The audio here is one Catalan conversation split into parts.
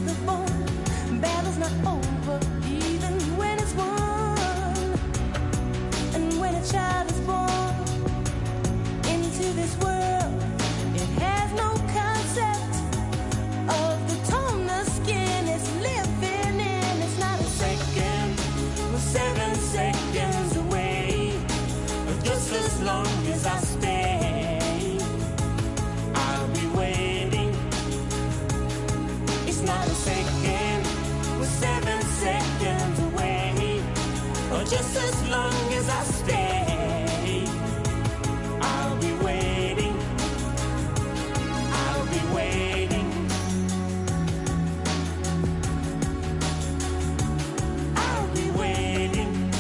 the bone. Battle's not over, even when it's won. And when a child is born into this world, it has no concept of the tone the skin is living in. It's not a second, we're 7 seconds away. Just as long as I stay, I'll be waiting. It's not a second, we're 7 seconds away. Or just as long as I stay, I'll be waiting. I'll be waiting. I'll be waiting.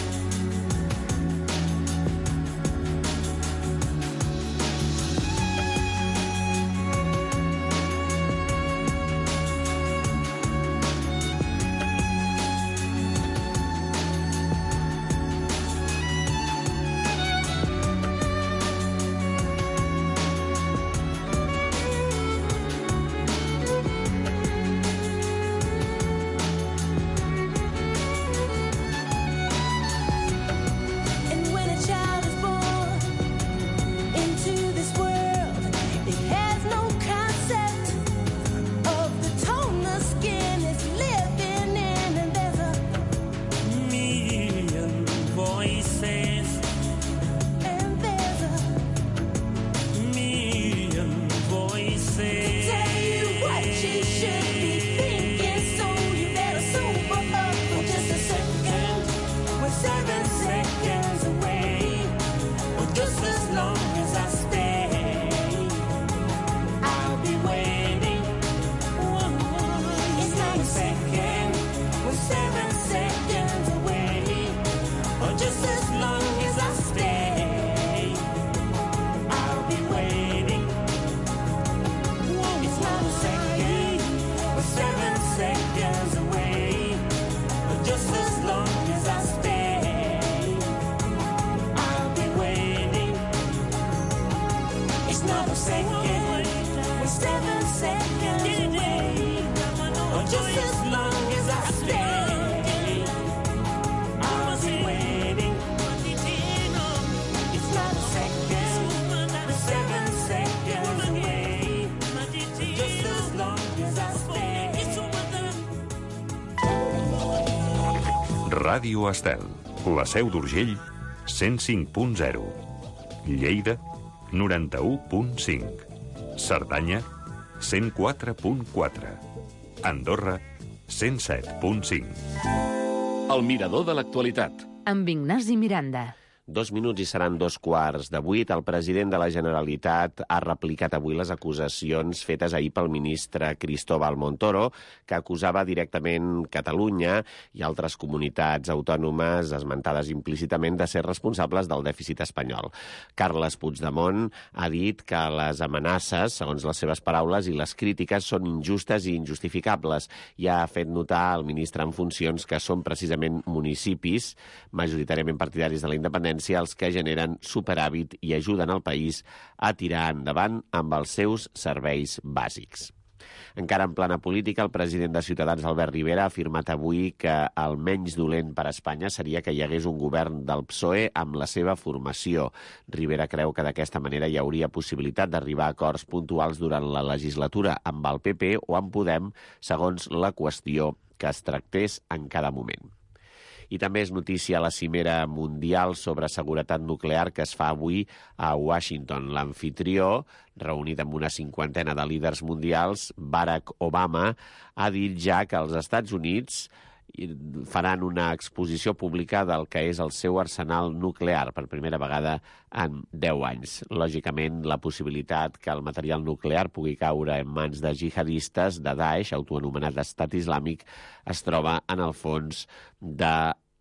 And when a child is born into this world, it has no concept of the tone the skin is living in. And there's a million voices, and there's a million voices to tell you what you should be thinking. So you better sober up for just a second. We're 7 seconds away. Or just as long as I stay, I'll be waiting. It's not a second, we're 7 seconds away. Or just as long as I stay, I'll be waiting. It's not a second, we're 7 seconds away. Or just as long as I stay, I'll be waiting. It's not a second, we're 7 seconds away. Or just as long as I stay, I'll be waiting. It's not a second, we're 7 seconds away. Just as long as I stay. Ràdio Estel, la Seu d'Urgell, 105.0. Lleida, 91.5. Cerdanya, 104.4. Andorra, 107.5. El mirador de l'actualitat. Amb Ignasi Miranda. 2 minuts i seran 2:15. El president de la Generalitat ha replicat avui les acusacions fetes ahir pel ministre Cristóbal Montoro, que acusava directament Catalunya i altres comunitats autònomes esmentades implícitament de ser responsables del dèficit espanyol. Carles Puigdemont ha dit que les amenaces, segons les seves paraules, i les crítiques són injustes i injustificables, i ha fet notar al ministre en funcions que són precisament municipis, majoritàriament partidaris de la independència, els que generen superàvit i ajuden el país a tirar endavant amb els seus serveis bàsics. Encara en plana política, el president de Ciutadans, Albert Rivera, ha afirmat avui que el menys dolent per a Espanya seria que hi hagués un govern del PSOE amb la seva formació. Rivera creu que d'aquesta manera hi hauria possibilitat d'arribar a acords puntuals durant la legislatura amb el PP o amb Podem, segons la qüestió que es tractés en cada moment. I també és notícia la cimera mundial sobre seguretat nuclear que es fa avui a Washington. L'amfitrió, reunit amb una 50ena de líders mundials, Barack Obama, ha dit ja que els Estats Units faran una exposició pública del que és el seu arsenal nuclear per primera vegada en 10 anys. Lògicament, la possibilitat que el material nuclear pugui caure en mans de jihadistes de Daesh, autoanomenat Estat Islàmic, es troba en el fons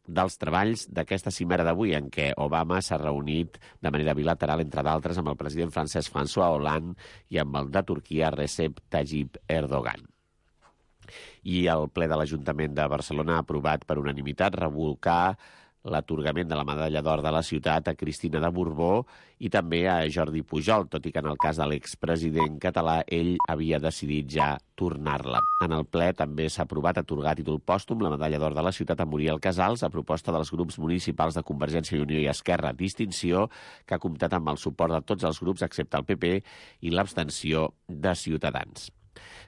dels treballs d'aquesta cimera d'avui, en què Obama s'ha reunit de manera bilateral, entre d'altres, amb el president francès François Hollande i amb el de Turquia Recep Tayyip Erdogan. I el ple de l'Ajuntament de Barcelona ha aprovat per unanimitat revocar l'atorgament de la medalla d'or de la ciutat a Cristina de Borbó i també a Jordi Pujol, tot i que en el cas de l'expresident català ell havia decidit ja tornar-la. En el ple també s'ha aprovat atorgar a títol pòstum la medalla d'or de la ciutat a Muriel Casals a proposta dels grups municipals de Convergència i Unió i Esquerra, distinció que ha comptat amb el suport de tots els grups excepte el PP i l'abstenció de Ciutadans.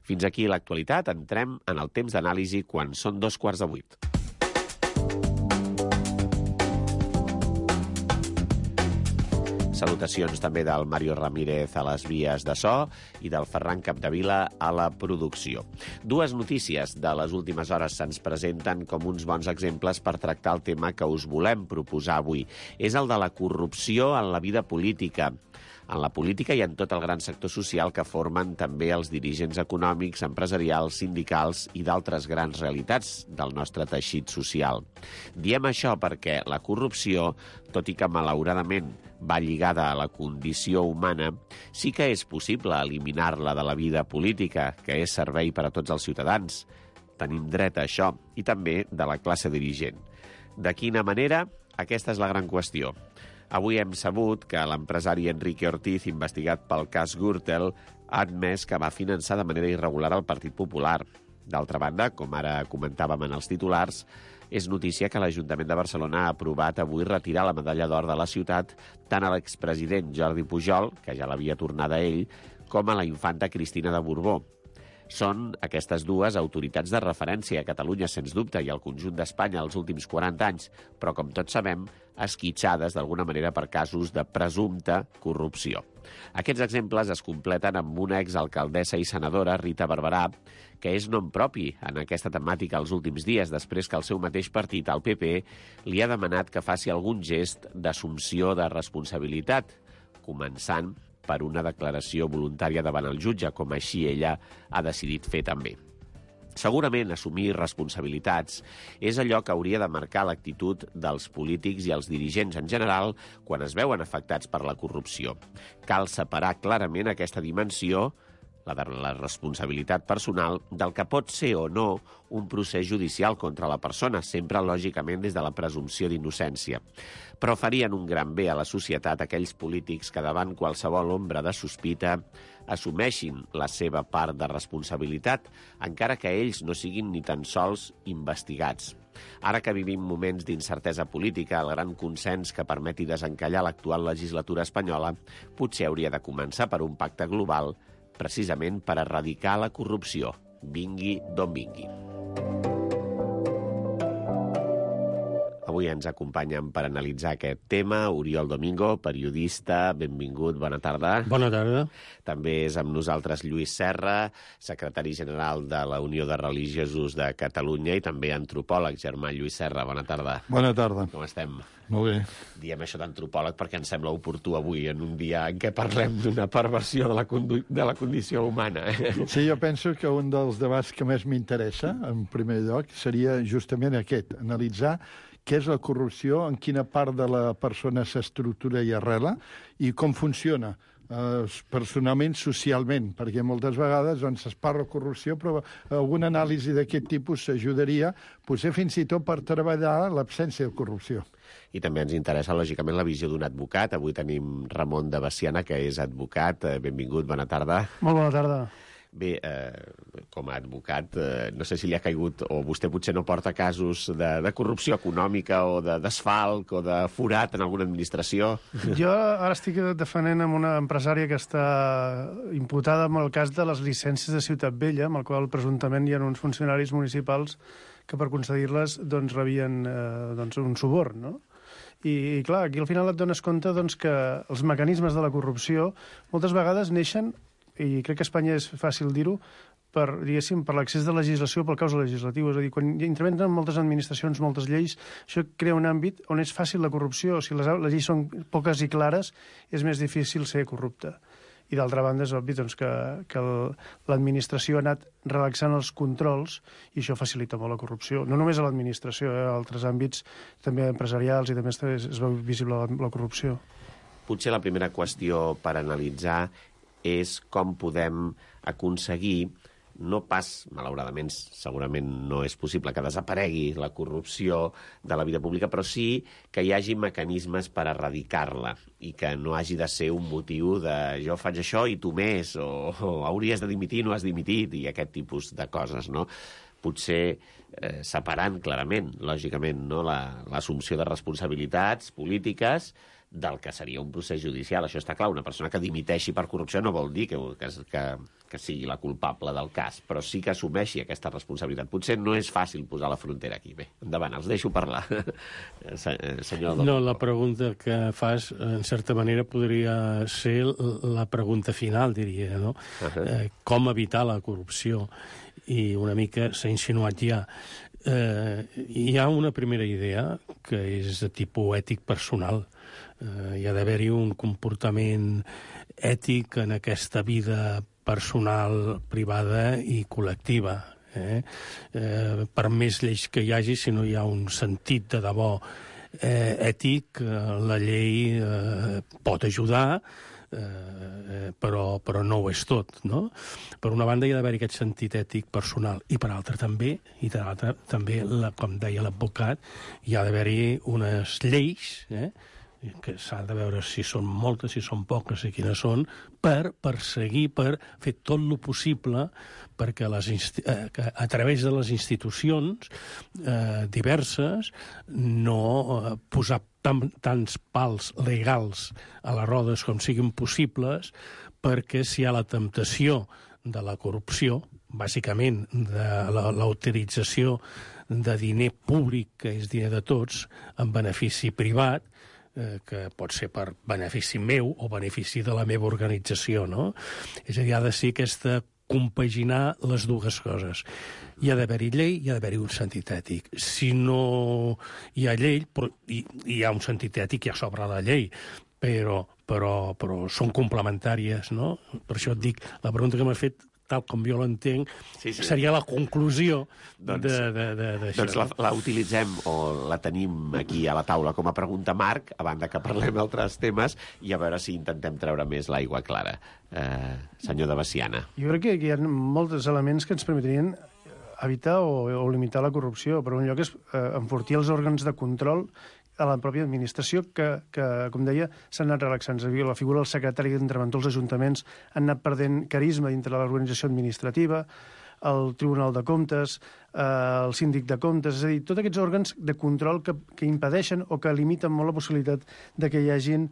Fins aquí l'actualitat. Entrem en el temps d'anàlisi quan són 7:15. Salutacions també del Mario Ramírez a les vies de so i del Ferran Capdevila a la producció. Dues notícies de les últimes hores se'ns presenten com uns bons exemples per tractar el tema que us volem proposar avui. És el de la corrupció en la vida política. En la política i en tot el gran sector social que formen també els dirigents econòmics, empresarials, sindicals i d'altres grans realitats del nostre teixit social. Diem això perquè la corrupció, tot i que malauradament va lligada a la condició humana, sí que és possible eliminar-la de la vida política, que és servei per a tots els ciutadans. Tenim dret a això, i també de la classe dirigent. De quina manera? Aquesta és la gran qüestió. Avui hem sabut que l'empresari Enrique Ortiz, investigat pel cas Gürtel, ha admès que va finançar de manera irregular el Partit Popular. D'altra banda, com ara comentàvem en els titulars, és notícia que l'Ajuntament de Barcelona ha aprovat avui retirar la medalla d'or de la ciutat tant a l'expresident Jordi Pujol, que ja l'havia tornada a ell, com a la infanta Cristina de Borbó. Són aquestes dues autoritats de referència a Catalunya, sens dubte, i al conjunt d'Espanya els últims 40 anys, però, com tots sabem, esquitxades d'alguna manera per casos de presumpta corrupció. Aquests exemples es completen amb una exalcaldessa i senadora, Rita Barberà, que és nom propi en aquesta temàtica els últims dies, després que el seu mateix partit, el PP, li ha demanat que faci algun gest d'assumpció de responsabilitat, començant per una declaració voluntària davant el jutge, com així ella ha decidit fer també. Segurament assumir responsabilitats és allò que hauria de marcar l'actitud dels polítics i els dirigents en general quan es veuen afectats per la corrupció. Cal separar clarament aquesta dimensió, la de la responsabilitat personal, del que pot ser o no un procés judicial contra la persona, sempre lògicament des de la presumpció d'innocència. Però farien un gran bé a la societat aquells polítics que davant qualsevol ombra de sospita assumeixin la seva part de responsabilitat, encara que ells no siguin ni tan sols investigats. Ara que vivim moments d'incertesa política, el gran consens que permeti desencallar l'actual legislatura espanyola potser hauria de començar per un pacte global precisament per erradicar la corrupció, vingui d'on vingui. Avui ens acompanyen per analitzar aquest tema Oriol Domingo, periodista, benvingut, bona tarda. Bona tarda. També és amb nosaltres Lluís Serra, secretari general de la Unió de Religiosos de Catalunya i també antropòleg. Germà Lluís Serra, bona tarda. Bona tarda. Com estem? Molt bé. Diem això d'antropòleg perquè ens sembla oportú avui, en un dia en què parlem d'una perversió de la condició humana. Sí, jo penso que un dels debats que més m'interessa, en primer lloc, seria justament aquest, analitzar què és la corrupció, en quina part de la persona s'estructura i arrela i com funciona personalment, socialment, perquè moltes vegades doncs, es parla de corrupció, però alguna anàlisi d'aquest tipus s'ajudaria, potser fins i tot per treballar l'absència de corrupció. I també ens interessa, lògicament, la visió d'un advocat. Avui tenim Ramon de Veciana, que és advocat. Benvingut, bona tarda. Molt bona tarda. Bé, com a advocat, no sé si li ha caigut, o vostè potser no porta casos de corrupció econòmica o de desfalc o de forat en alguna administració. Jo ara estic defendent amb una empresària que està imputada amb el cas de les llicències de Ciutat Vella, amb el qual presumptament hi ha uns funcionaris municipals que per concedir-les doncs, rebien un suborn, no? I clar, aquí al final et dones compte doncs, que els mecanismes de la corrupció moltes vegades neixen, i crec que a Espanya és fàcil dir-ho, per l'accés de legislació pel causa legislatiu. És a dir, quan intervenen moltes administracions, moltes lleis, això crea un àmbit on és fàcil la corrupció. Si les lleis són poques i clares, és més difícil ser corrupte. I d'altra banda és obvi doncs, que l'administració ha anat relaxant els controls i això facilita molt la corrupció. No només a l'administració, a altres àmbits també empresarials i també es veu visible la corrupció. Potser la primera qüestió per analitzar és com podem aconseguir no pas, malauradament, segurament no és possible que desaparegui la corrupció de la vida pública, però sí que hi hagi mecanismes per erradicar-la i que no hagi de ser un motiu de jo faig això i tu més, o hauries de dimitir, no has dimitit, i aquest tipus de coses, no? Potser separant clarament, lògicament, no? L'assumpció de responsabilitats polítiques del que seria un procés judicial. Això està clar, una persona que dimiteixi per corrupció no vol dir que sigui la culpable del cas, però sí que assumeixi aquesta responsabilitat. Potser no és fàcil posar la frontera aquí. Bé, endavant, els deixo parlar. Senyor No, la pregunta que fas, en certa manera, podria ser la pregunta final, diria, no? Com evitar la corrupció? I una mica s'ha insinuat ja. Hi ha una primera idea que és de tipus ètic personal. Hi ha d'haver-hi un comportament ètic en aquesta vida personal, privada i col·lectiva. Per més lleis que hi hagi, si no hi ha un sentit de debò ètic, la llei pot ajudar, però no ho és tot, no? Per una banda hi ha d'haver aquest sentit ètic personal i per altra també, com deia l'advocat, hi ha d'haver-hi unes lleis, que s'ha de veure si són moltes, si són poques i quines són, per perseguir, per fer tot el possible perquè que a través de les institucions diverses no posar tants pals legals a les rodes com siguin possibles, perquè si hi ha la temptació de la corrupció, bàsicament de la utilització de diner públic, que és diner de tots, en benefici privat, que pot ser per benefici meu o benefici de la meva organització, no? És a dir, ha de ser aquesta compaginar les dues coses. Hi ha d'haver-hi llei, hi ha d'haver-hi un sentit ètic. Si no hi ha llei, hi ha un sentit ètic, hi ha sobre la llei, però són complementàries, no? Per això et dic, la pregunta que m'has fet, tal com jo l'entenc, seria la conclusió d'això. Doncs la utilitzem o la tenim aquí a la taula com a pregunta marc, a banda que parlem d'altres temes, i a veure si intentem treure més l'aigua clara. Senyor de Veciana. Jo crec que hi ha molts elements que ens permetrien evitar o limitar la corrupció. Per un lloc és enfortir els òrgans de control a la pròpia administració que com deia, s'han anat relaxant. La figura del secretari d'interventor als ajuntaments han anat perdent carisma dintre de l'organització administrativa, el Tribunal de Comptes, el Síndic de Comptes, és a dir, tots aquests òrgans de control que impedeixen o que limiten molt la possibilitat de que hi hagin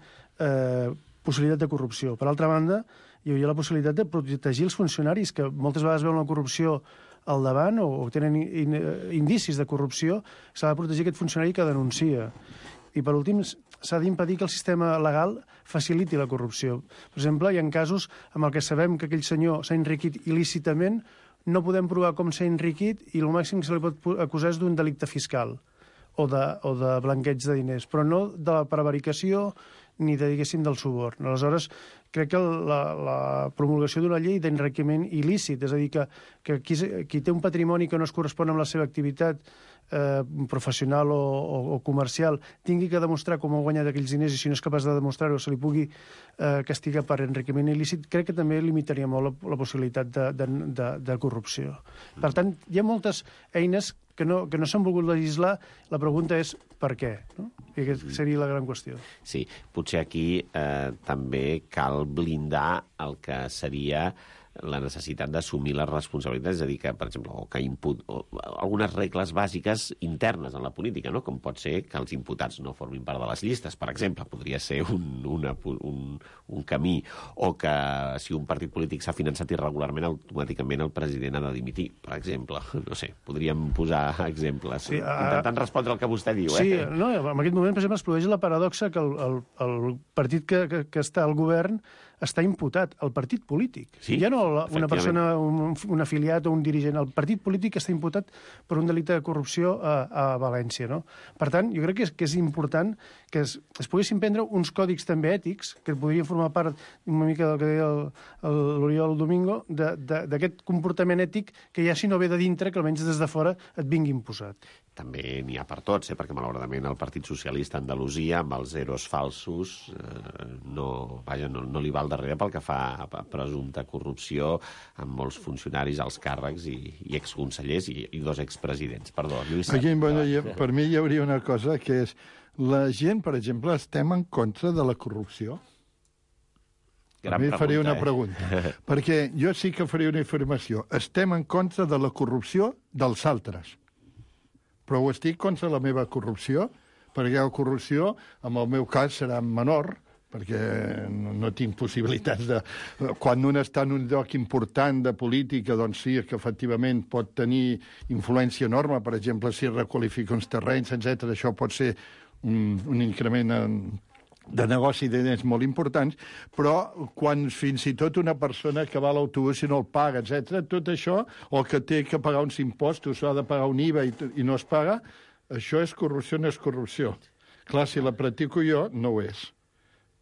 possibilitat de corrupció. Per altra banda, hi hauria la possibilitat de protegir els funcionaris, que moltes vegades veuen la corrupció al davant o tenen indicis de corrupció, s'ha de protegir aquest funcionari que denuncia. I, per últim, s'ha d'impedir que el sistema legal faciliti la corrupció. Per exemple, hi ha casos en què sabem que aquell senyor s'ha enriquit il·lícitament, no podem provar com s'ha enriquit i el màxim que se li pot acusar és d'un delicte fiscal o de blanqueig de diners, però no de la prevaricació ni diguéssim del suborn. Aleshores, crec que la promulgació d'una llei d'enriquiment il·lícit, és a dir, que qui té un patrimoni que no es correspon amb la seva activitat professional o comercial tingui que demostrar com ha guanyat aquells diners i si no és capaç de demostrar-ho se li pugui castigar per enriquiment il·lícit, crec que també limitaria molt la possibilitat de corrupció. Per tant, hi ha moltes eines que no s'han volgut legislar. La pregunta és per què, no? I aquesta seria la gran qüestió. Sí, potser aquí també cal blindar el que seria la necessitat d'assumir les responsabilitats, és a dir, que, per exemple, algunes regles bàsiques internes en la política, no? Com pot ser que els imputats no formin part de les llistes, per exemple, podria ser un camí, o que si un partit polític s'ha finançat irregularment, automàticament el president ha de dimitir, per exemple. No sé, podríem posar exemples. Sí, intentant respondre al que vostè diu. Sí, no, en aquest moment, per exemple, es produeix la paradoxa que el partit que està al govern està imputat, el partit polític. Sí, ja no una persona, un afiliat o un dirigent. El partit polític està imputat per un delicte de corrupció a València, no? Per tant, jo crec que és important que es poguessin prendre uns còdics també ètics, que podrien formar part una mica del que deia l'Oriol Domingo, d'aquest comportament ètic que ja si no ve de dintre, que almenys des de fora et vingui imposat. També n'hi ha per tots, perquè malauradament el Partit Socialista a Andalusia, amb els zeros falsos, no li val darrere pel que fa a presumpta corrupció amb molts funcionaris, alts càrrecs i exconsellers i 2 expresidents. Perdó, Lluís. Aquí, per mi hi hauria una cosa que és la gent, per exemple, estem en contra de la corrupció? A mi faria una pregunta. Perquè jo sí que faria una afirmació. Estem en contra de la corrupció dels altres. Però ho estic contra la meva corrupció, perquè la corrupció, en el meu cas, serà menor, perquè no tinc possibilitats de... Quan un està en un lloc important de política, doncs sí, que efectivament pot tenir influència enorme, per exemple, si requalifica uns terrenys, etc. Això pot ser un increment de negoci de diners molt importants, però quan fins i tot una persona que va a l'autobús i no el paga, etc., tot això, o que té que pagar uns impostos o ha de pagar un IVA i no es paga, això és corrupció, no és corrupció. Clar, si la practico jo, no ho és.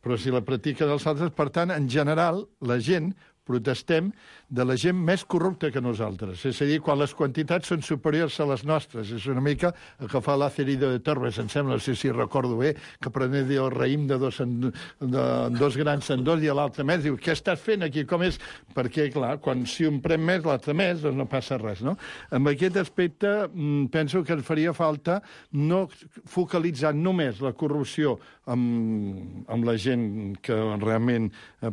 Però si la practiquen els altres, per tant, en general, la gent protestem de la gent més corrupta que nosaltres. És a dir, quan les quantitats són superiors a les nostres. És una mica el que fa l'Acerida de Torres, em sembla, no sé si recordo bé, que prenés el raïm de 2 grans en 2 i l'altre més. Diu, què estàs fent aquí? Com és? Perquè, clar, quan si un pren més, l'altre més, doncs no passa res, no? Amb aquest aspecte, penso que ens faria falta no focalitzar només la corrupció amb la gent que realment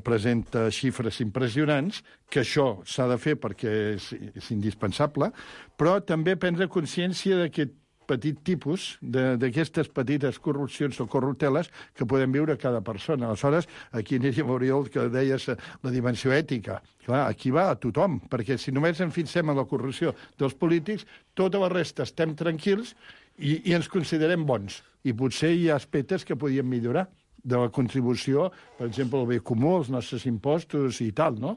presenta xifres impressionants, que això s'ha de fer perquè és indispensable, però també prendre consciència d'aquest petit tipus, d'aquestes petites corrupcions o corrupteles que podem viure cada persona. Aleshores, aquí aniria Oriol, que deies la dimensió ètica. Clar, aquí va a tothom, perquè si només ens fixem en la corrupció dels polítics, tota la resta estem tranquils i ens considerem bons. I potser hi ha aspectes que podríem millorar de la contribució, per exemple, el bé comú, els nostres impostos i tal, no?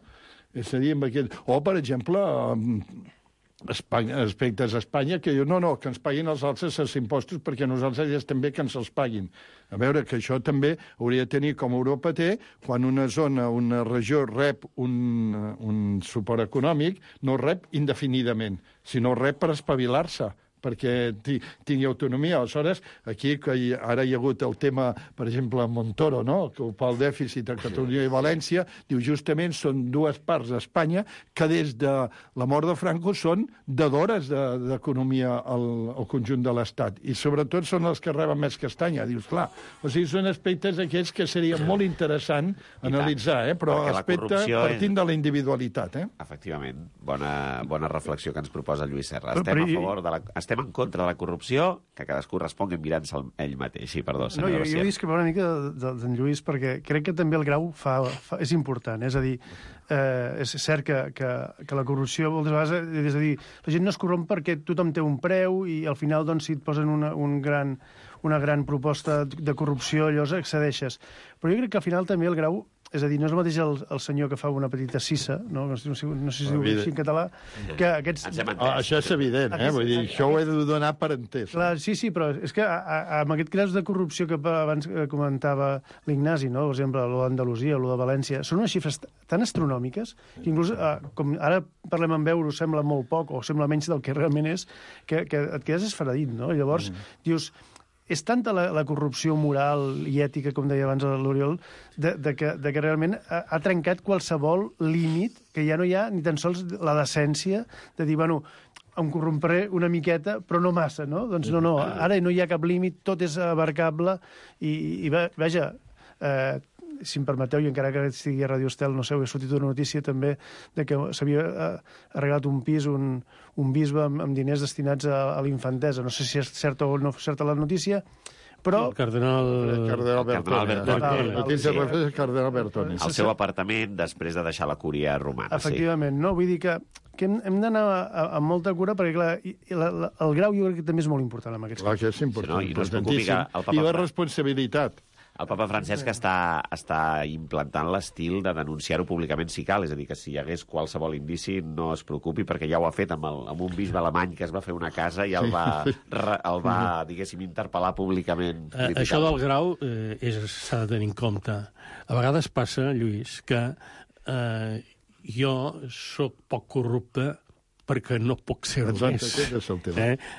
És a dir, o, per exemple, aspectes a Espanya que diu, no, que ens paguin els altres els impostos perquè nosaltres ja estem bé que ens els paguin. A veure, que això també hauria de tenir com Europa té, quan una zona, una regió rep un suport econòmic, no rep indefinidament, sinó rep per espavilar-se, perquè tingui autonomia. Aleshores, aquí que ara hi ha hagut el tema, per exemple, Montoro, no?, que pel dèficit a Catalunya i València, diu justament són 2 parts d'Espanya que des de la mort de Franco són dedores d'economia al conjunt de l'Estat. I sobretot són els que reben més castanya. Dius, clar, o sigui, són aspectes aquests que seria molt interessant analitzar, però aspecte partint de la individualitat. Efectivament. Bona reflexió que ens proposa Lluís Serra. Estem a favor de estem en contra de la corrupció, que cadascú respongui mirant-se ell mateix. Sí, perdó, senyor García. Jo discrepo una mica d'en Lluís, perquè crec que també el grau és important. És a dir, és cert que la corrupció moltes vegades, és a dir, la gent no es corromp perquè tothom té un preu i al final, doncs, si et posen una gran proposta de corrupció, llavors accedeixes. Però jo crec que al final també el grau, és a dir, no és el mateix el senyor que fa una petita cissa, no sé si es diu així en català, que aquests... Això és evident, vull dir, això ho he de donar per entès. Clar, sí, però és que amb aquest cas de corrupció que abans comentava l'Ignasi, no?, per exemple, lo d'Andalusia, lo de València, són unes xifres tan astronòmiques que inclús, com ara parlem en euros, sembla molt poc o sembla menys del que realment és, que et quedes esferadit, no? Llavors, dius... És tanta la corrupció moral i ètica, com deia abans l'Oriol, de que realment ha trencat qualsevol límit, que ja no hi ha ni tan sols la decència de dir, bueno, em corrompré una miqueta, però no massa, no? Doncs no, ara no hi ha cap límit, tot és abarcable i vaja, si em permeteu, i encara que estigui a Radio Estel, no sé, he sortit una notícia també de que s'havia arreglat un pis, un bisbe amb diners destinats a l'infantesa. No sé si és certa o no certa la notícia, però... El cardenal Bertone. El seu apartament després de deixar la cúria romana. Efectivament, no? Vull dir que hem d'anar amb molta cura perquè, clar, el grau jo crec que també és molt important en aquests casos. Clar que és important, importantíssim. I la responsabilitat. El papa Francesc està implantant l'estil de denunciar-ho públicament si cal, és a dir, que si hi hagués qualsevol indici no es preocupi, perquè ja ho ha fet amb un bisbe alemany que es va fer una casa i el va diguéssim, interpel·lar públicament. Això del grau s'ha de tenir en compte. A vegades passa, Lluís, que jo sóc poc corrupte perquè no puc ser-ho més.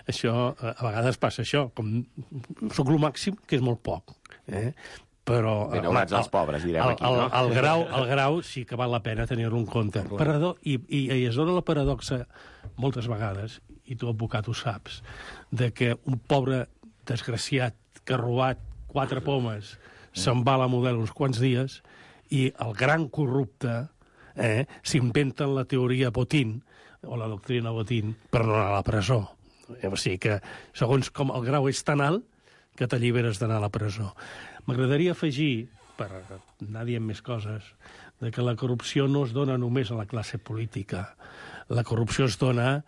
Això, a vegades passa això, com sóc el màxim, que és molt poc. però... Benaurats els pobres, direm aquí, no? El grau sí que val la pena tenir-lo en compte. I es dona la paradoxa moltes vegades, i tu, advocat, ho saps, de que un pobre desgraciat que ha robat 4 pomes se'n va a la Model uns quants dies i el gran corrupte s'inventen la teoria Botín, o la doctrina Botín, per no anar a la presó. O sigui que, segons com el grau és tan alt, que t'alliberes d'anar a la presó. M'agradaria afegir, per anar dient més coses, de que la corrupció no es dona només a la classe política. La corrupció es dona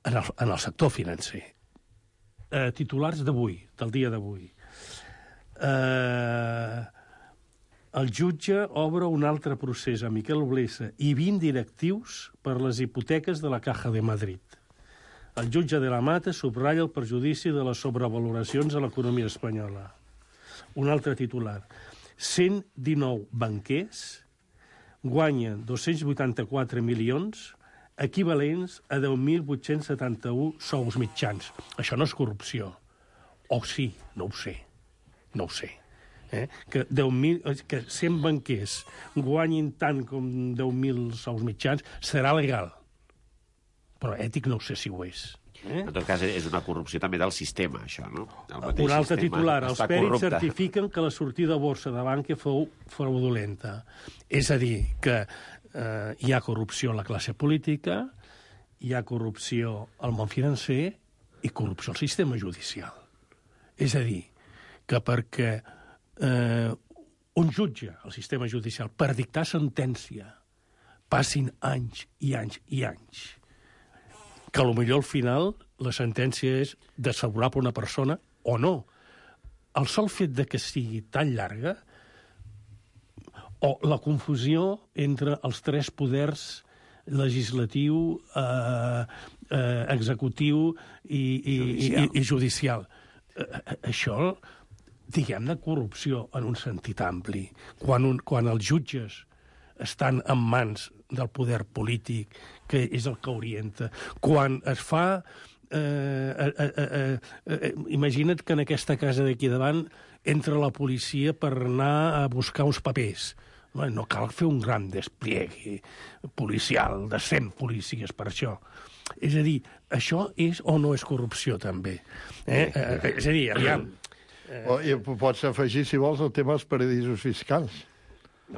en el sector financer. Titulars d'avui, del dia d'avui. El jutge obre un altre procés a Miquel Blesa i 20 directius per les hipoteques de la Caja de Madrid. El jutge de la Mata subratlla el perjudici de les sobrevaloracions a l'economia espanyola. Un altre titular. 119 banquers guanyen 284 milions equivalents a 10.871 sous mitjans. Això no és corrupció. O sí, no ho sé. No ho sé. Que 100 banquers guanyin tant com 10.000 sous mitjans serà legal. Però ètic no sé si ho és. En tot cas, és una corrupció també del sistema, això, no? Un altre titular. Els pèrits certifiquen que la sortida a borsa de Bankia fou fraudulenta. És a dir, que hi ha corrupció a la classe política, hi ha corrupció al món financer i corrupció al sistema judicial. És a dir, que perquè un jutge al sistema judicial per dictar sentència passin anys i anys i anys, que potser al final la sentència és desfavorable a una persona o no. El sol fet de que sigui tan llarga o la confusió entre els 3 poders legislatiu, executiu i judicial. Això, diguem-ne, corrupció en un sentit ampli. Quan els jutges estan en mans del poder polític, que és el que orienta. Quan es fa... imagina't que en aquesta casa d'aquí davant entra la policia per anar a buscar uns papers. No cal fer un gran despliegue policial de 100 policies per això. És a dir, això és o no és corrupció, també? És a dir, aviam... I pots afegir, si vols, el tema dels paradisos fiscals.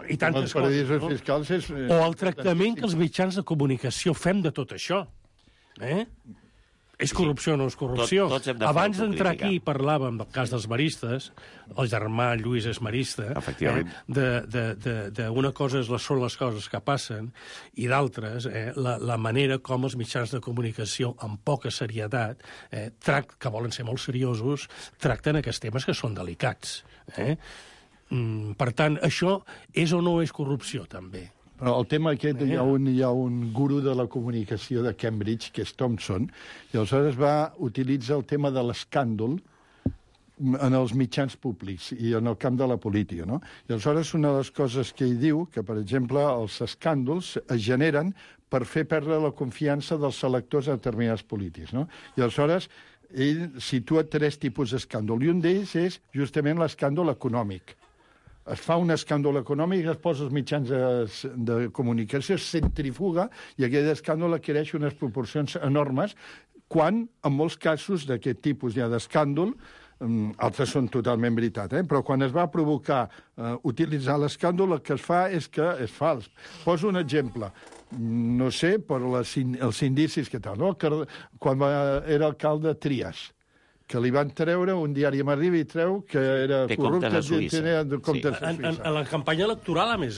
I tantes paradisos coses, fiscals és... O el tractament que els mitjans de comunicació fem de tot això. És corrupció o no és corrupció? Abans d'entrar aquí parlàvem del cas dels maristes, el germà Lluís és marista, d'una cosa són les coses que passen i d'altres, la manera com els mitjans de comunicació amb poca serietat, que volen ser molt seriosos, tracten aquests temes que són delicats. Per tant, això és o no és corrupció, també? Però el tema aquest, hi ha un guru de la comunicació de Cambridge, que és Thompson, i aleshores va utilitzar el tema de l'escàndol en els mitjans públics i en el camp de la política, no? I aleshores una de les coses que ell diu, que per exemple els escàndols es generen per fer perdre la confiança dels electors a determinats polítics, no? I aleshores ell situa 3 tipus d'escàndol, i un d'ells és justament l'escàndol econòmic. Es fa un escàndol econòmic, es posa els mitjans de comunicació, es centrifuga, i aquell escàndol adquireix unes proporcions enormes, quan, en molts casos d'aquest tipus ja d'escàndol, altres són totalment veritat, però quan es va provocar utilitzar l'escàndol, el que es fa és que és fals. Poso un exemple. No sé, per els indicis que tal, no? Quan era alcalde Trias, que li van treure, un diari m'arriba i treu que era corrupte. Tenia comptes a Suïssa. En la campanya electoral, a més.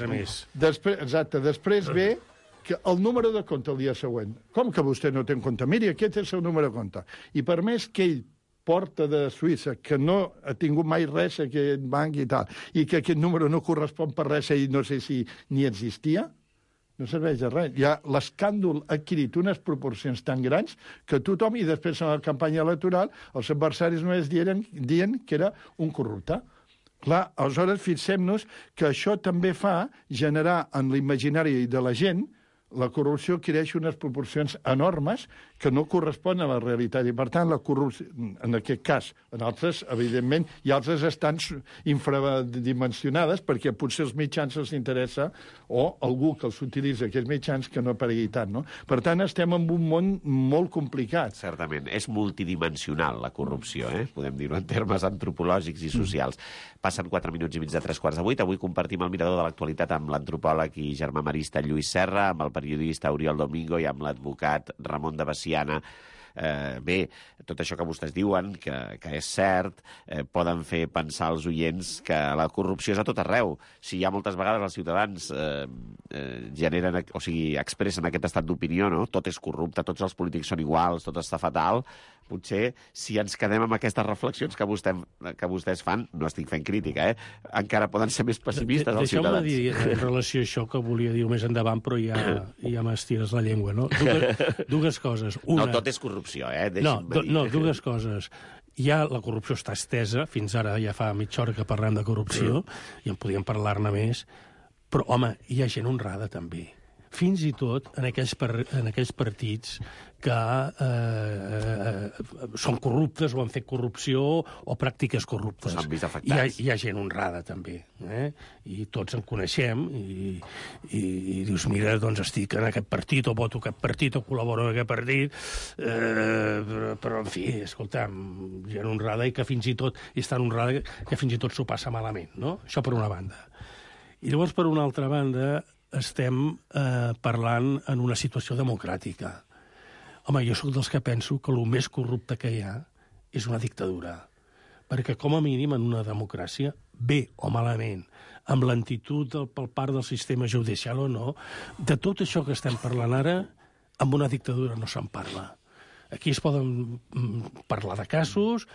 Exacte. Després ve que el número de compte el dia següent. Com que vostè no té en compte? Miri, aquest és el seu número de compte. I per més que ell porta de Suïssa, que no ha tingut mai res a aquest banc i tal, i que aquest número no correspon per res i no sé si ni existia, no serveix de res. Ja l'escàndol ha adquirit unes proporcions tan grans que tothom, i després en la campanya electoral, els adversaris només dient que era un corrupte. Clar, aleshores fixem-nos que això també fa generar en l'imaginari de la gent la corrupció adquireix unes proporcions enormes que no corresponen a la realitat. I, per tant, la corrupció, en aquest cas, en altres, evidentment, i altres estan infradimensionades perquè potser els mitjans els interessa o algú que els utilitza, aquests mitjans, que no aparegui tant, no? Per tant, estem en un món molt complicat. Certament. És multidimensional, la corrupció, podem dir-ho en termes antropològics i socials. Passen 4 minuts i mig de 3:15. Avui compartim el mirador de l'actualitat amb l'antropòleg i germamarista Lluís Serra, amb el periodista Oriol Domingo i amb l'advocat Ramon de Veciana. Bé, tot això que vostès diuen, que és cert, poden fer pensar als oients que la corrupció és a tot arreu. Si hi ha moltes vegades els ciutadans expressen aquest estat d'opinió, no? Tot és corrupte, tots els polítics són iguals, tot està fatal, potser si ens quedem amb aquestes reflexions que vostès fan, no estic fent crítica, encara poden ser més pessimistes els ciutadans. Deixeu-me dir en relació a això que volia dir més endavant, però ja m'estires la llengua, no? Dues coses. Una... No tot és corrupció, No, dues coses. Ja la corrupció està estesa, fins ara ja fa mitja hora que parlem de corrupció, i en podíem parlar-ne més, però, home, hi ha gent honrada, també. Fins i tot en aquells partits que són corruptes o han fet corrupció o pràctiques corruptes. S'han vist afectats. Hi ha gent honrada, també. I tots en coneixem i dius, mira, doncs estic en aquest partit o voto aquest partit o col·laboro en aquest partit, però, en fi, escolta'm, gent honrada i que fins i tot és tan honrada que fins i tot s'ho passa malament, no? Això per una banda. I llavors, per una altra banda, estem parlant en una situació democràtica. Home, jo sóc dels que penso que el més corrupte que hi ha és una dictadura. Perquè, com a mínim, en una democràcia, bé o malament, amb lentitud per part del sistema judicial o no, de tot això que estem parlant ara, amb una dictadura no se'n parla. Aquí es poden parlar de casos,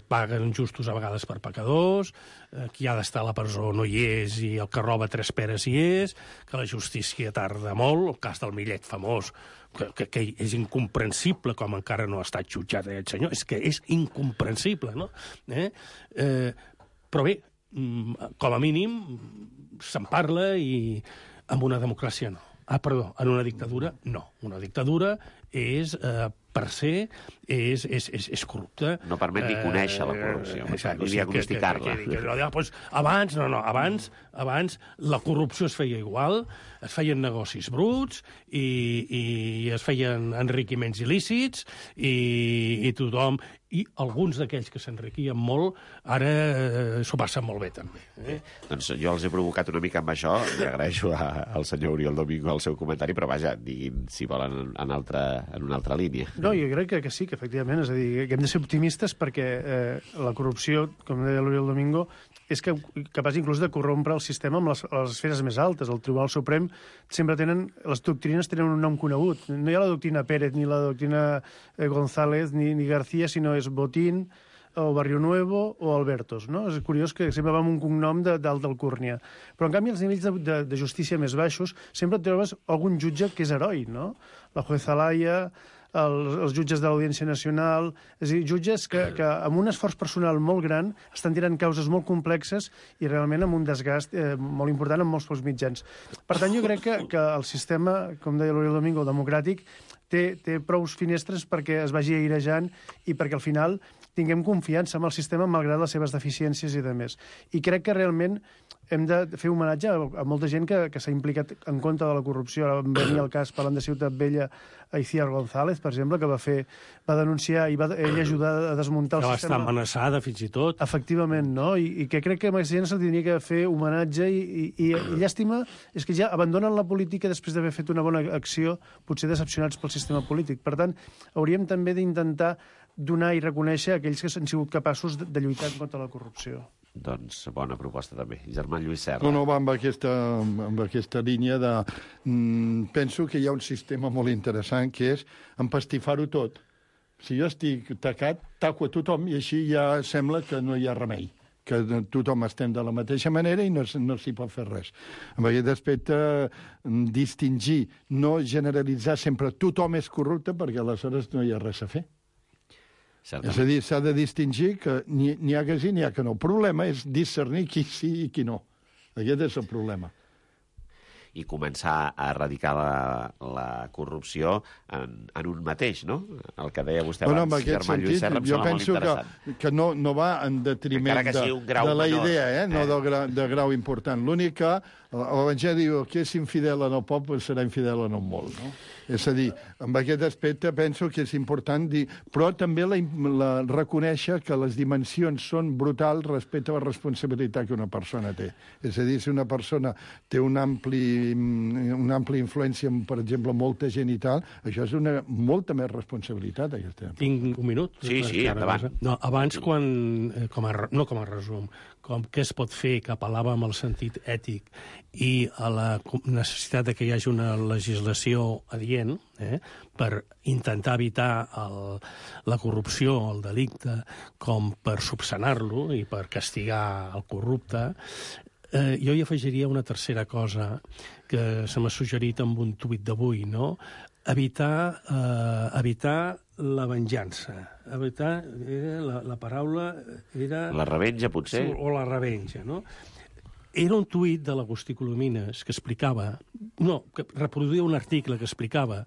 paguen justos a vegades per pecadors, qui ha d'estar a la presó no hi és i el que roba 3 peres hi és, que la justícia tarda molt, el cas del Millet famós, que és incomprensible com encara no ha estat jutjat aquest senyor, és que és incomprensible, no? Però bé, com a mínim se'n parla i en una democràcia no. En una dictadura, no. Una dictadura és, per se, és corrupta. No permet ni conèixer la corrupció, ni diagnosticar-la. Abans la corrupció es feia igual, es feien negocis bruts i es feien enriquiments il·lícits i tothom... I alguns d'aquells que s'enriquien molt ara s'ho passen molt bé, també. Doncs jo els he provocat una mica amb això. Li agraeixo al senyor Oriol Domingo el seu comentari, però vaja, diguin si volen en una altra línia. No, jo crec que sí, que efectivament, és a dir, que hem de ser optimistes perquè la corrupció, com deia l'Oriol Domingo, és capaç inclús de corrompre el sistema amb les esferes més altes. El Tribunal Suprem sempre les doctrines tenen un nom conegut. No hi ha la doctrina Pérez, ni la doctrina González, ni García, sinó és Botín, o Barrio Nuevo, o Albertos, no? És curiós que sempre va amb un cognom d'alt d'Alcúrnia. Però, en canvi, als nivells de justícia més baixos sempre et trobes algun jutge que és heroi, no? La jueza Laia, els jutges de l'Audiència Nacional, és a dir, jutges que amb un esforç personal molt gran estan tirant causes molt complexes i realment amb un desgast molt important amb molts pocs mitjans. Per tant, jo crec que el sistema, com deia l'Oriol Domingo, democràtic, té prou finestres perquè es vagi airejant i perquè al final tinguem confiança en el sistema malgrat les seves deficiències i demés. I crec que realment hem de fer homenatge a molta gent que s'ha implicat en contra de la corrupció. Ara vam venir el cas, parlant de Ciutat Vella, a Iciar González, per exemple, que va denunciar i va ell ajudar a desmuntar el sistema. Va estar amenaçada, fins i tot. Efectivament, no? I que crec que a aquesta gent se li hauria que fer homenatge i llàstima és que ja abandonen la política després d'haver fet una bona acció, potser decepcionats pel sistema polític. Per tant, hauríem també d'intentar donar i reconèixer aquells que han sigut capaços de lluitar contra la corrupció. Doncs bona proposta també. Germà Lluís Serra. No, va amb aquesta línia de... penso que hi ha un sistema molt interessant que és empastifar-ho tot. Si jo estic tacat, taco a tothom i així ja sembla que no hi ha remei, que tothom estem de la mateixa manera i no s'hi pot fer res. En aquest aspecte, distingir, no generalitzar sempre tothom és corrupte perquè aleshores no hi ha res a fer. Certament. És a dir, s'ha de distingir que n'hi ha que sí, n'hi ha que no. El problema és discernir qui sí i qui no. Aquest és el problema. i començar a erradicar la corrupció en un mateix, no? El que deia vostè abans, en aquest Germà Lluís sentit, Serra, em jo sembla molt penso interessant. que no va en detriment Encara que sigui un grau de la menor, idea, no de grau important. L'únic que l'Evangeli diu que és infidel en el poble serà infidel en el molt, no? És a dir, amb aquest aspecte penso que és important dir, però també reconèixer que les dimensions són brutals respecte a la responsabilitat que una persona té. És a dir, si una persona té una àmplia influència amb, per exemple, molta gent i tal, això és molta més responsabilitat. Tinc un minut? Sí, endavant. No, abans, no com a resum, com què es pot fer, que apel·lava amb el sentit ètic i a la necessitat de que hi hagi una legislació adient per intentar evitar la corrupció, el delicte, com per subsanar-lo i per castigar el corrupte. Jo hi afegiria una tercera cosa que se m'ha suggerit amb un tuit d'avui, no? Evitar la venjança. Evitar, la paraula era... La revenja, potser? O la revenja, no? Era un tuit de l'Agustí Colomines que explicava... No, que reproduïa un article que explicava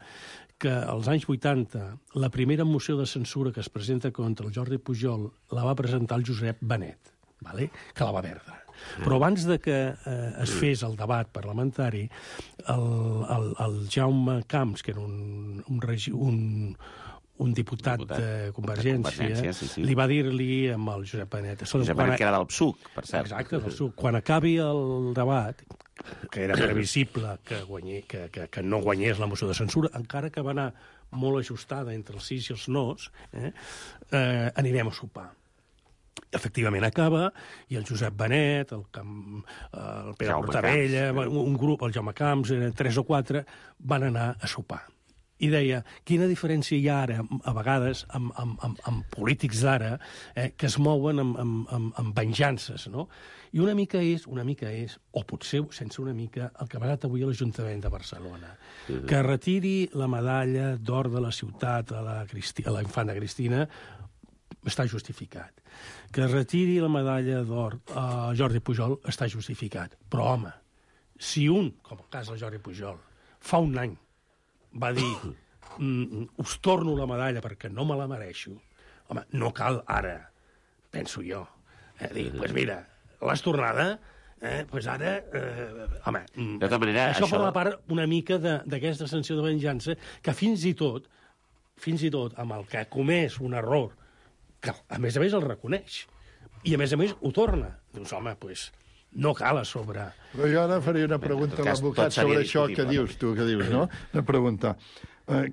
que als anys 80 la primera moció de censura que es presenta contra el Jordi Pujol la va presentar el Josep Benet, vale? Que la va perdre. Però abans de que es fes el debat parlamentari, el Jaume Camps, que era un diputat de Convergència, sí. li va dir-li amb el Josep Benet... Josep Benet, que era del PSUC, per cert. Exacte, del PSUC. Quan acabi el debat, que era previsible que no guanyés la moció de censura, encara que va anar molt ajustada entre els sís i els nos, anirem a sopar. Efectivament acaba, i el Josep Benet, el Pere Portabella, un grup, el Jaume Camps, 3 o 4, van anar a sopar. I deia, quina diferència hi ha ara, a vegades, amb polítics d'ara, que es mouen amb venjances, no? I una mica és, o potser sense una mica, el que ha passat avui a l'Ajuntament de Barcelona. Que retiri la medalla d'or de la ciutat a la infanta Cristina està justificat. Que retiri la medalla d'or a Jordi Pujol està justificat. Però, home, si un, com el cas del Jordi Pujol, fa un any va dir us torno la medalla perquè no me la mereixo, home, no cal ara, penso jo, dir, doncs mira, l'has tornada, doncs ara, home, de tota manera, això forma part una mica d'aquesta sensació de venjança que fins i tot amb el que ha comès un error, que a més el reconeix, i a més ho torna, dius, home, doncs no cal a sobre. Però jo ara faria una pregunta a l'advocat sobre això que dius tu, no? Una pregunta.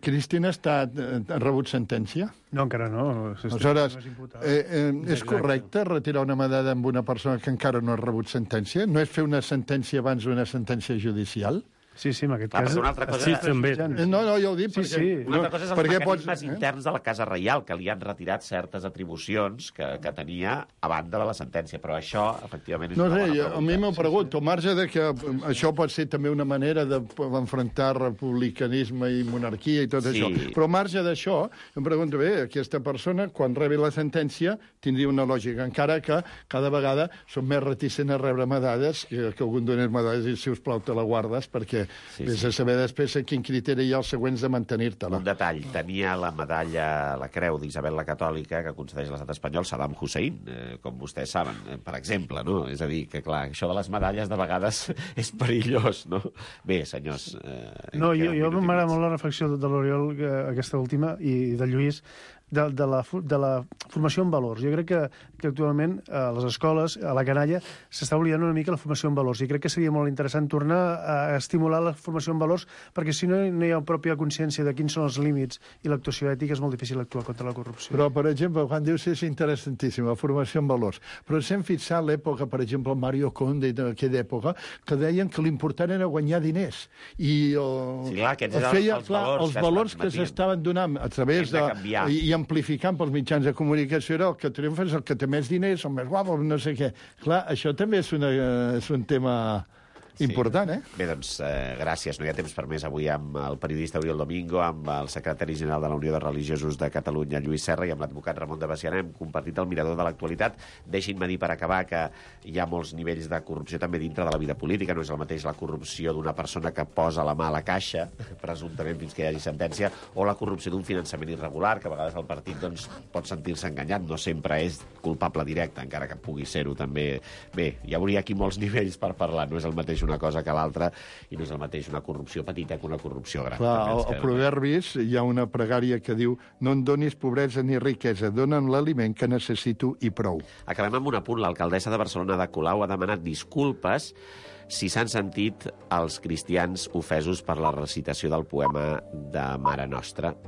Cristina ha rebut sentència? No, encara no. Aleshores, és correcte retirar una medalla amb una persona que encara no ha rebut sentència? No és fer una sentència abans d'una sentència judicial? Sí, en aquest cas... Una altra cosa... Sí, també. No, jo ho dic perquè... Sí. Una altra cosa és els mecanismes interns de la Casa Reial, que li han retirat certes atribucions que tenia a banda de la sentència, però això, efectivament, és una bona pregunta. pregunta. A mi m'ho pregunto, al marge de que això pot ser també una manera d'enfrontar republicanisme i monarquia i tot això, però al marge d'això, em pregunto, bé, aquesta persona, quan rebi la sentència, tindria una lògica, encara que cada vegada són més reticents a rebre medalles, que algun donés medalles i, si us plau, te la guardes, perquè vés a saber després a quin criteri hi ha els següents de mantenir-te-la. Un detall, tenia la medalla, la creu d'Isabel la Catòlica, que concedeix l'estat espanyol Saddam Hussein, com vostès saben, per exemple, no? És a dir, que clar, això de les medalles de vegades és perillós, no? Bé, senyors... No, jo m'agrada molt la reflexió de l'Oriol, aquesta última, i de Lluís, de la formació en valors. Jo crec que actualment a les escoles, a la canalla, s'està oblidant una mica la formació en valors, i crec que seria molt interessant tornar a estimular la formació en valors, perquè si no hi ha pròpia consciència de quins són els límits i l'actuació ètica, és molt difícil actuar contra la corrupció. Però, per exemple, quan dius és interessantíssim, la formació en valors, però si hem fixat l'època, per exemple, Mario Conde d'aquella època, que deien que l'important era guanyar diners. I els valors que s'estaven donant a través de... i amplificant pels mitjans de comunicació era el que triomfa és el que té més diners, el més guapo, no sé què. Clar, això també és un tema Important, eh? Bé, doncs, gràcies. No hi ha temps per més avui amb el periodista Oriol Domingo, amb el secretari general de la Unió de Religiosos de Catalunya, Lluís Serra, i amb l'advocat Ramon de Besiana. Hem compartit el mirador de l'actualitat. Deixin-me dir, per acabar, que hi ha molts nivells de corrupció també dintre de la vida política. No és el mateix la corrupció d'una persona que posa la mà a la caixa, presumptament fins que hi hagi sentència, o la corrupció d'un finançament irregular, que a vegades el partit doncs, pot sentir-se enganyat. No sempre és culpable directe, encara que pugui ser-ho també. Bé, hi hauria aquí molts nivells per parlar. No és el mateix una cosa que l'altra, i no és el mateix una corrupció petita que una corrupció gran. Clar, al Proverbis hi ha una pregària que diu: no em donis pobresa ni riquesa, dona'm l'aliment que necessito i prou. Acabem amb un apunt. L'alcaldessa de Barcelona, Ada Colau, ha demanat disculpes si s'han sentit els cristians ofesos per la recitació del poema de Mare Nostra.